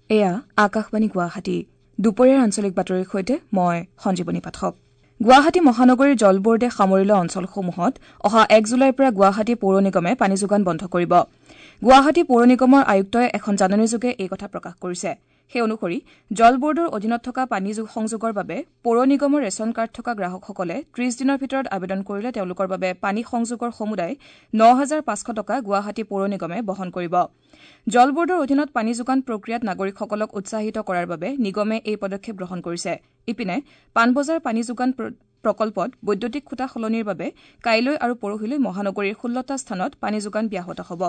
এয়া আকাশবাণী গুৱাহাটী। দুপৰীয়াৰ আঞ্চলিক বাতৰিৰ সৈতে মই সঞ্জীৱনী পাঠক। গুৱাহাটী মহানগৰীৰ জল বোৰ্ডে সামৰি লোৱা অঞ্চলসমূহত অহা ১ জুলাইৰ পৰা গুৱাহাটী পৌৰ নিগমে পানী যোগান বন্ধ কৰিব। গুৱাহাটী পৌৰ নিগমৰ আয়ুক্তই এখন জাননীযোগে এই কথা প্ৰকাশ কৰিছে। সেই অনুসৰি জল বোৰ্ডৰ অধীনত থকা পানী সংযোগৰ বাবে পৌৰ নিগমৰ ৰেচন কাৰ্ড থকা গ্ৰাহকসকলে ৩০ দিনৰ ভিতৰত আবেদন কৰিলে তেওঁলোকৰ বাবে পানী সংযোগৰ সমুদায় ৯,৫০০ টকা গুৱাহাটী পৌৰ নিগমে বহন কৰিব। জল বোৰ্ডৰ অধীনত পানী যোগান প্ৰক্ৰিয়াত নাগৰিকসকলক উৎসাহিত কৰাৰ বাবে নিগমে এই পদক্ষেপ গ্ৰহণ কৰিছে। ইপিনে পাণবজাৰ পানী যোগান প্ৰকল্পত বৈদ্যুতিক খুঁটা সলনিৰ বাবে কাইলৈ আৰু পৰহিলৈ মহানগৰীৰ ১৬টা স্থানত পানী যোগান ব্যাহত হ'ব।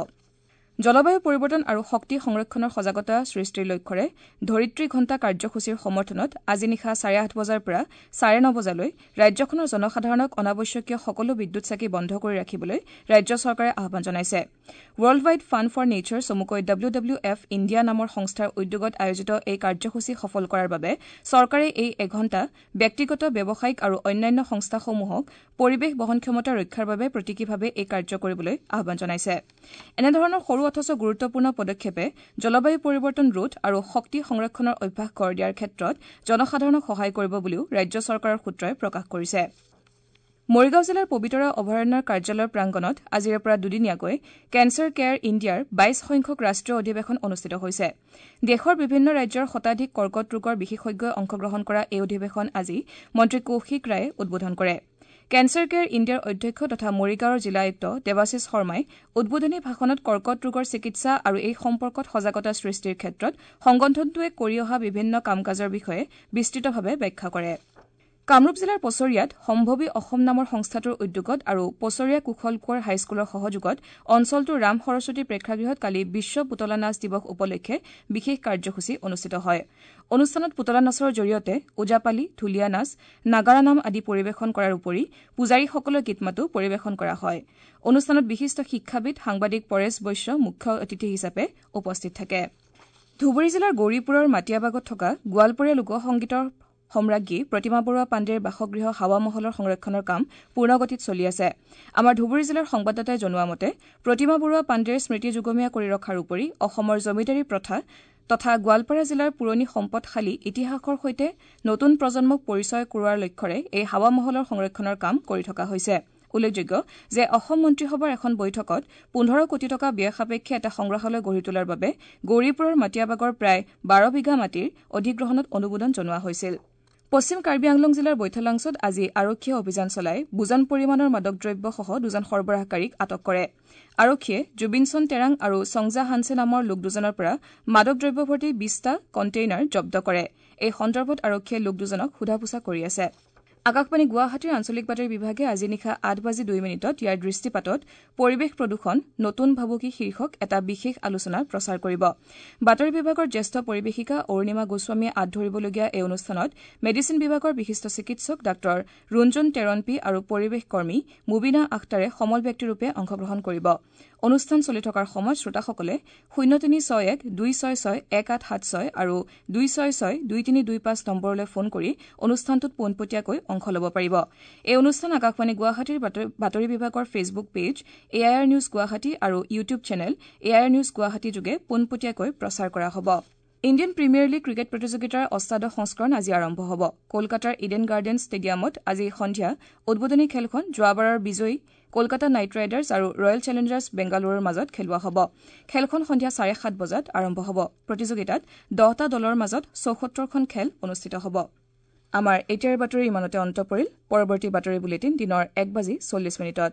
জলবায়ু পৰিৱৰ্তন আৰু শক্তি সংৰক্ষণৰ সজাগতা সৃষ্টিৰ লক্ষ্যৰে ধৰিত্ৰী ঘণ্টা কাৰ্যসূচীৰ সমৰ্থনত আজি নিশা ৮:৩০ বজাৰ পৰা ৯:৩০ বজালৈ ৰাজ্যখনৰ জনসাধাৰণক অনাৱশ্যকীয় সকলো বিদ্যুৎ চাকি বন্ধ কৰি ৰাখিবলৈ ৰাজ্য চৰকাৰে আহ্বান জনাইছে। World wide fund for nature চমুকৈ ডব্লিউ ডব্লিউ এফ ইণ্ডিয়া নামৰ সংস্থাৰ উদ্যোগত আয়োজিত এই কাৰ্যসূচী সফল কৰাৰ বাবে চৰকাৰে এই এঘণ্টা ব্যক্তিগত, ব্যৱসায়িক আৰু অন্যান্য সংস্থাসমূহক পৰিৱেশ বহনক্ষমতা ৰক্ষাৰ বাবে প্ৰতীকীভাৱে এই কাৰ্য কৰিবলৈ আহ্বান জনাইছে। এনেধৰণৰ সৰু অথচ গুৰুত্বপূৰ্ণ পদক্ষেপে জলবায়ু পৰিৱৰ্তন ৰোধ আৰু শক্তি সংৰক্ষণৰ অভ্যাস গঢ় দিয়াৰ ক্ষেত্ৰত জনসাধাৰণক সহায় কৰিব বুলিও ৰাজ্য চৰকাৰৰ সূত্ৰই প্ৰকাশ কৰিছে। মৰিগাঁও জিলাৰ পবিতৰা অভয়াৰণ্যৰ কাৰ্যালয়ৰ প্ৰাংগণত আজিৰে পৰা দুদিনীয়াকৈ কেঞ্চাৰ কেয়াৰ ইণ্ডিয়াৰ ২২ সংখ্যক ৰাষ্ট্ৰীয় অধিৱেশন অনুষ্ঠিত হৈছে। দেশৰ বিভিন্ন ৰাজ্যৰ শতাধিক কৰ্কট ৰোগৰ বিশেষজ্ঞই অংশগ্ৰহণ কৰা এই অধিৱেশন আজি মন্ত্ৰী কৌশিক ৰায়ে উদ্বোধন কৰে। কেঞ্চাৰ কেয়াৰ ইণ্ডিয়াৰ অধ্যক্ষ তথা মৰিগাঁৱৰ জিলা আয়ুক্ত দেৱাশীষ শৰ্মাই উদ্বোধনী ভাষণত কৰ্কট ৰোগৰ চিকিৎসা আৰু এই সম্পৰ্কত সজাগতা সৃষ্টিৰ ক্ষেত্ৰত সংগঠনটোৱে কৰি অহা বিভিন্ন কাম কাজৰ বিষয়ে বিস্তৃতভাৱে ব্যাখ্যা কৰে। কামৰূপ জিলাৰ পছৰীয়াত সম্ভৱী অসম নামৰ সংস্থাটোৰ উদ্যোগত আৰু পছৰীয়া কুশল কোঁৱৰ হাইস্কুলৰ সহযোগত অঞ্চলটোৰ ৰাম সৰস্বতী প্ৰেক্ষাগৃহত কালি বিশ্ব পুতলা নাচ দিৱস উপলক্ষে বিশেষ কাৰ্যসূচী অনুষ্ঠিত হয়। অনুষ্ঠানত পুতলা নাচৰ জৰিয়তে ওজাপালি, ঢুলীয়া নাচ, নাগাৰা নাম আদি পৰিৱেশন কৰাৰ উপৰি পূজাৰীসকলৰ গীত মাতো পৰিৱেশন কৰা হয়। অনুষ্ঠানত বিশিষ্ট শিক্ষাবিদ, সাংবাদিক পৰেশ বৈশ্য মুখ্য অতিথি হিচাপে উপস্থিত থাকে। ধুবুৰী জিলাৰ গৌৰীপুৰৰ মাটিয়াবাগত থকা গোৱালপৰীয়া লোকসংগীতৰ সম্ৰাজ্ঞী প্ৰতিমা বৰুৱা পাণ্ডেৰ বাসগৃহ হাৱা মহলৰ সংৰক্ষণৰ কাম পূৰ্ণগতিত চলি আছে। আমাৰ ধুবুৰী জিলাৰ সংবাদদাতাই জনোৱা মতে প্ৰতিমা বৰুৱা পাণ্ডেৰ স্মৃতি যুগমীয়া কৰি ৰখাৰ উপৰি অসমৰ জমিদাৰী প্ৰথা তথা গোৱালপাৰা জিলাৰ পুৰণি সম্পদশালী ইতিহাসৰ সৈতে নতুন প্ৰজন্মক পৰিচয় কৰোৱাৰ লক্ষ্যৰে এই হাৱা মহলৰ সংৰক্ষণৰ কাম কৰি থকা হৈছে। উল্লেখযোগ্য যে অসম মন্ত্ৰীসভাৰ এখন বৈঠকত ১৫ কোটি টকা ব্যয় সাপেক্ষে এটা সংগ্ৰহালয় গঢ়ি তোলাৰ বাবে গৌৰীপুৰৰ মাটিয়াবাগৰ প্ৰায় ১২ বিঘা মাটিৰ অধিগ্ৰহণত অনুমোদন জনোৱা হৈছিল। পশ্চিম কাৰ্বি আংলং জিলাৰ বৈঠালাংছত আজি আৰক্ষীয়ে অভিযান চলাই বুজন পৰিমাণৰ মাদক দ্ৰব্যসহ দুজন সৰবৰাহকাৰীক আটক কৰে। আৰক্ষীয়ে জুবিনচন টেৰাং আৰু চংজা হানছে নামৰ লোক দুজনৰ পৰা মাদক দ্ৰব্যভৰ্তি ২০টা কণ্টেইনাৰ জব্দ কৰে। এই সন্দৰ্ভত আৰক্ষীয়ে লোক দুজনক সোধা পোছা কৰি আছে। আকাশবাণী গুৱাহাটীৰ আঞ্চলিক বাতৰি বিভাগে আজি নিশা ৮:০২ ইয়াৰ দৃষ্টিপাতত পৰিৱেশ প্ৰদূষণ নতুন ভাবুকি শীৰ্ষক এটা বিশেষ আলোচনা প্ৰচাৰ কৰিব। বাতৰি বিভাগৰ জ্যেষ্ঠ পৰিৱেশিকা অৰুণিমা গোস্বামীয়ে আঁত ধৰিবলগীয়া এই অনুষ্ঠানত মেডিচিন বিভাগৰ বিশিষ্ট চিকিৎসক ডাঃ ৰুঞ্জন টেৰণপী আৰু পৰিৱেশ কৰ্মী মুবিনা আখতাৰে সমল ব্যক্তিৰূপে অংশগ্ৰহণ কৰিব। অনুষ্ঠান চলি থকাৰ সময়ত শ্ৰোতাসকলে ০৩৬১ ২৬৬ ১৮৭৬ আৰু ২৬৬ ২৩২৫ নম্বৰলৈ ফোন কৰি অনুষ্ঠানটোত পোনপটীয়াকৈ অংশ ল'ব পাৰিব। এই অনুষ্ঠান আকাশবাণী গুৱাহাটীৰ বাতৰি বিভাগৰ Facebook page A I R news Guwahati আৰু YouTube channel A I R news Guwahati যোগে পোনপটীয়াকৈ প্ৰচাৰ কৰা হ'ব। ইণ্ডিয়ান প্ৰিমিয়াৰ লীগ ক্ৰিকেট প্ৰতিযোগিতাৰ অষ্টাদশ সংস্কৰণ আজি আৰম্ভ হ'ব। কলকাতাৰ ইডেন গাৰ্ডেন ষ্টেডিয়ামত আজি সন্ধিয়া উদ্বোধনী খেলখন যোৱাবাৰৰ বিজয়ী কলকাতা নাইট ৰাইডাৰ্ছ আৰু ৰয়েল চেলেঞ্জাৰ্ছ বেংগালুৰুৰ মাজত খেলোৱা হ'ব। খেলখন সন্ধিয়া ৭:৩০ বজাত আৰম্ভ হ'ব। প্ৰতিযোগিতাত ১০টা দলৰ মাজত ৭৪খন খেল অনুষ্ঠিত হ'ব। আমাৰ এতিয়াৰ বাতৰি ইমানতে অন্ত পৰিল। পৰৱৰ্তী বাতৰি বুলেটিন দিনৰ ১:৪০।